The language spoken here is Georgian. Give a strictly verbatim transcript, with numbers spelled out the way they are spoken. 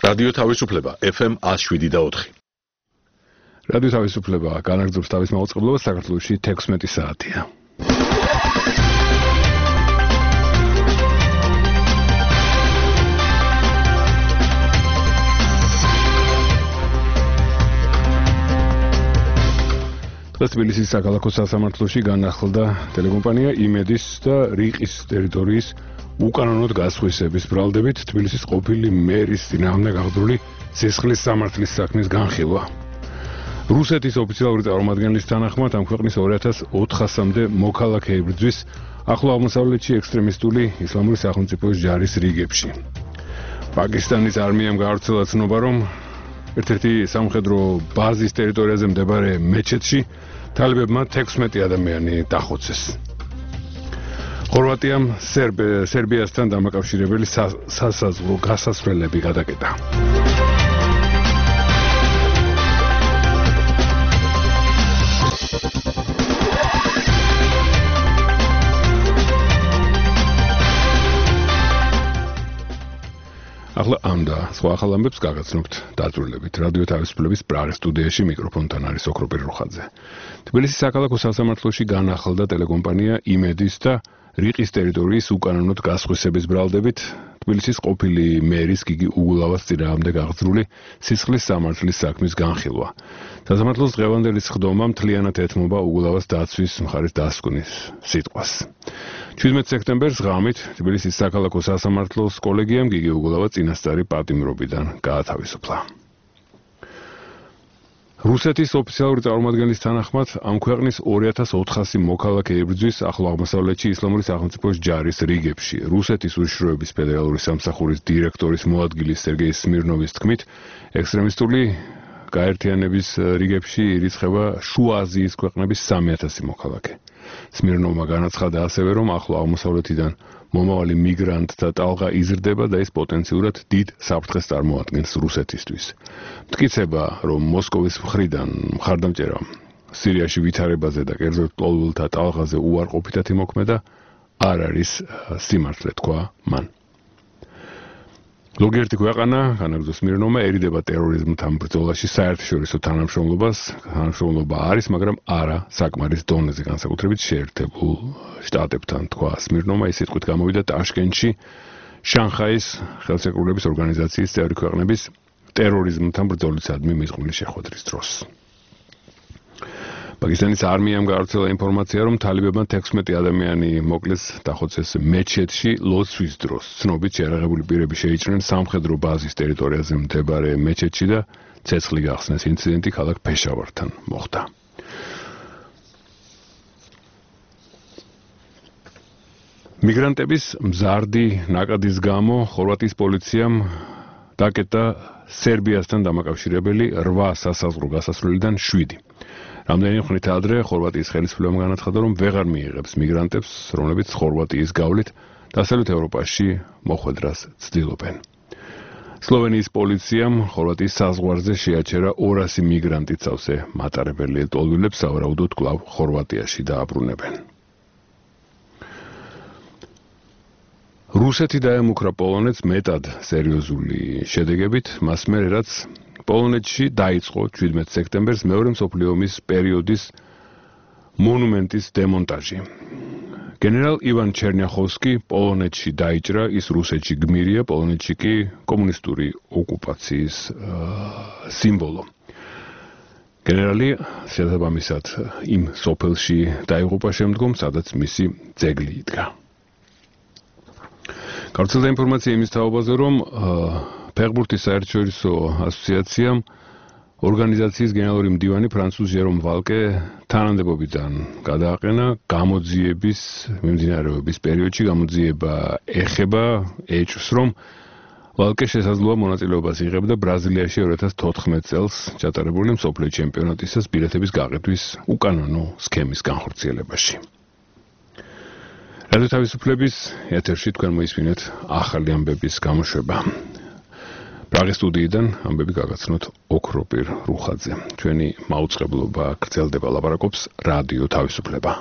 რადიო თავისუფლება ეფ ემ ათს შვიდი და ოთხი. რადიო თავისუფლება განაგრძობს თავის მაუწყებლობას საქართველოში თექვსმეტი საათია. თბილისის საქალაქო სასამართლოში განახლდა ტელეკომპანია იმედის და რიყის ტერიტორიის უკანონოდ გასხვისების ბრალდებით თბილისის ყოფილი მერის წინააღმდეგ აღძრული სისხლის სამართლის საქმის განხილვა. რუსეთის ოფიციალური წარმომადგენლის თანახმად ამ ქვეყნის ორი ათას ოთხასამდე მოქალაქე იბრძვის ახლო აღმოსავლეთში ექსტრემისტული ისლამური სახელმწიფოს ჯარის რიგებში. პაკისტანის არმიამ გაავრცელა ცნობა, რომ ერთ-ერთი სამხედრო ბაზის ტერიტორიაზე მდებარე მეჩეთში თალებებმა თექვსმეტი ადამიანი დახოცეს. ხორვატიამ სერბიასთან დამაკავშირებელი სასაზღვრო გასასვლელები გადაკეტა. ახლა ამ და სხვა ახალ ამბებს გაგაცნობთ დაწვრილებით. რადიო თავისუფლების პრაღის სტუდიაში მიკროფონთან არის ოქროპირ რუხაძე. თბილისის საქალაქო სასამართლოში განახლდა ტელეკომპანია იმედის და რიყის ტერიტორიის უკანონოდ გასხვისების ბრალდებით თბილისის ყოფილი მერის გიგი უგულავას წინააღმდეგ აღძრული სისხლის სამართლის საქმის განხილვა. სასამართლოს დღევანდელი სხდომა მთლიანად ეთმობა უგულავას დაცვის მხარის დასკვნის სიტყვას. შვიდმეტ სექტემბერს ღამით თბილისის საქალაქო სასამართლოს კოლეგიამ გიგი უგულავა წინასწარი პატიმრობიდან გაათავისუფლა. რუსეთის ოფიციალური წარმომადგენლის თანახმად ამ ქვეყნის ორი ათას ოთხასი მოქალაქე იბრძვის ახლო აღმოსავლეთში ისლამური სახელმწიფოს ჯარის რიგებში. რუსეთის უშიშროების ფედერალური სამსახურის დირექტორის მოადგილის სერგეი სმირნოვის თქმით, ექსტრემისტული გაერთიანების რიგებში ირიცხება შუა აზიის ქვეყნების სამი ათასი მოქალაქე. სმირნოვმა განაცხადა ასევე, რომ ახლო აღმოსავლეთიდან მომავალი მიგრანტთა ტალღა იზრდება და ის პოტენციურად დიდ საფრთხეს წარმოადგენს რუსეთისთვის. მტკიცება, რომ მოსკოვის მხრიდან მხარდამჭერა სირიაში ვითარებაზე და კერძოდ ლტოლვილთა ტალღაზე უარყოფითად იმოქმედა, არ არის სიმართლე, თქვა მან. ზოგიერთი ქვეყანა, განაგრძო სმირნოვმა, ერიდება ტერორიზმთან ბრძოლაში საერთაშორისო თანამშრომლობას. თანამშრომლობა არის, მაგრამ არა საკმარის დონეზე, განსაკუთრებით შეერთებულ შტატებთან, თქვა სმირნოვმა. ის სიტყვით გამოვიდა ტაშკენტში შანხაის ხელშეკრულების ორგანიზაციის წევრი ქვეყნების ტერორიზმთან ბრძოლისადმი მიზღვნილი შეხვედრის დროს. პაკისტანის არმიამ გაავრცელა ინფორმაცია, რომ თალებებმა თექვსმეტი ადამიანი მოკლეს დახოცეს მეჩეთში ლოცვის დროს. ცნობით შეერაღებული პირები შეიჭრნენ სამხედრო ბაზის ტერიტორიაზე მდებარე მეჩეთში და ცეცხლი გახსნეს. ინციდენტი ქალაქ ფეშავართან მოხდა. მიგრანტების მზარდი ნაკადის გამო ხორვატიის პოლიციამ დაკეტა სერბიასთან დამაკავშირებელი რვა სასაზღვრო გასასვლელიდან შვიდი. რამდენი ხნით ადრე ხორვატიის ხელისუფლებამ განაცხადა, რომ ვეღარ მიიღებს მიგრანტებს, რომლებიც ხორვატიის გავლით დასავლეთ ევროპაში მოხვედრას ცდილობენ. სლოვენიის პოლიციამ ხორვატიის საზღვარზე შეაჩერა ორასი მიგრანტი წავსე მატარებელი ლტოლვილებს, სავარაუდოდ კვლავ ხორვატიაში დააბრუნებენ. რუსეთი დაემუქრა პოლონეთს მეტად სერიოზული შედეგებით, მას მერე რაც პოლონეთში დაიწყო შვიდმეტ სექტემბერს მეორე მსოფლიო ომის პერიოდის მონუმენტის დემონტაჟი. გენერალ ივან ჩერნიახოვსკი პოლონეთში დაიჭრა, ის რუსეთში გმირია, პოლონეთში კი კომუნისტური ოკუპაციის სიმბოლო. გენერალი შესაბამისად იმ სოფელში დაიღუპა შემდგომ, სადაც მისი ძეგლი იდგა. გავრცელდა ინფორმაცია იმის თაობაზე, რომ ფეხბურთის საერთაშორისო ასოციაციამ ორგანიზაციის გენერალური მდივანი ფრანცუზ ჟერომ ვალკე თანამდებობიდან გადააყენა გამოძიების მიმდინარეობის პერიოდში. გამოძიება ეხება ეჭვს, რომ ვალკე შესაძლოა მონაწილეობას იღებდა ბრაზილიაში ორი ათას თოთხმეტ წელს ჩატარებული მსოფლიო ჩემპიონატისას ბილეთების გაყიდვის უკანონო სქემის განხორციელებაში. რადიო თავისუფლების ეთერში თქვენ მოისმინეთ ახალი ამბების გამოშვება. პრაღის სტუდიიდან ამბები გაგაცნოთ ოქროპირ რუხაძე. ჩვენი მაუწყებლობა გრძელდება, ლაპარაკობს რადიო თავისუფლება.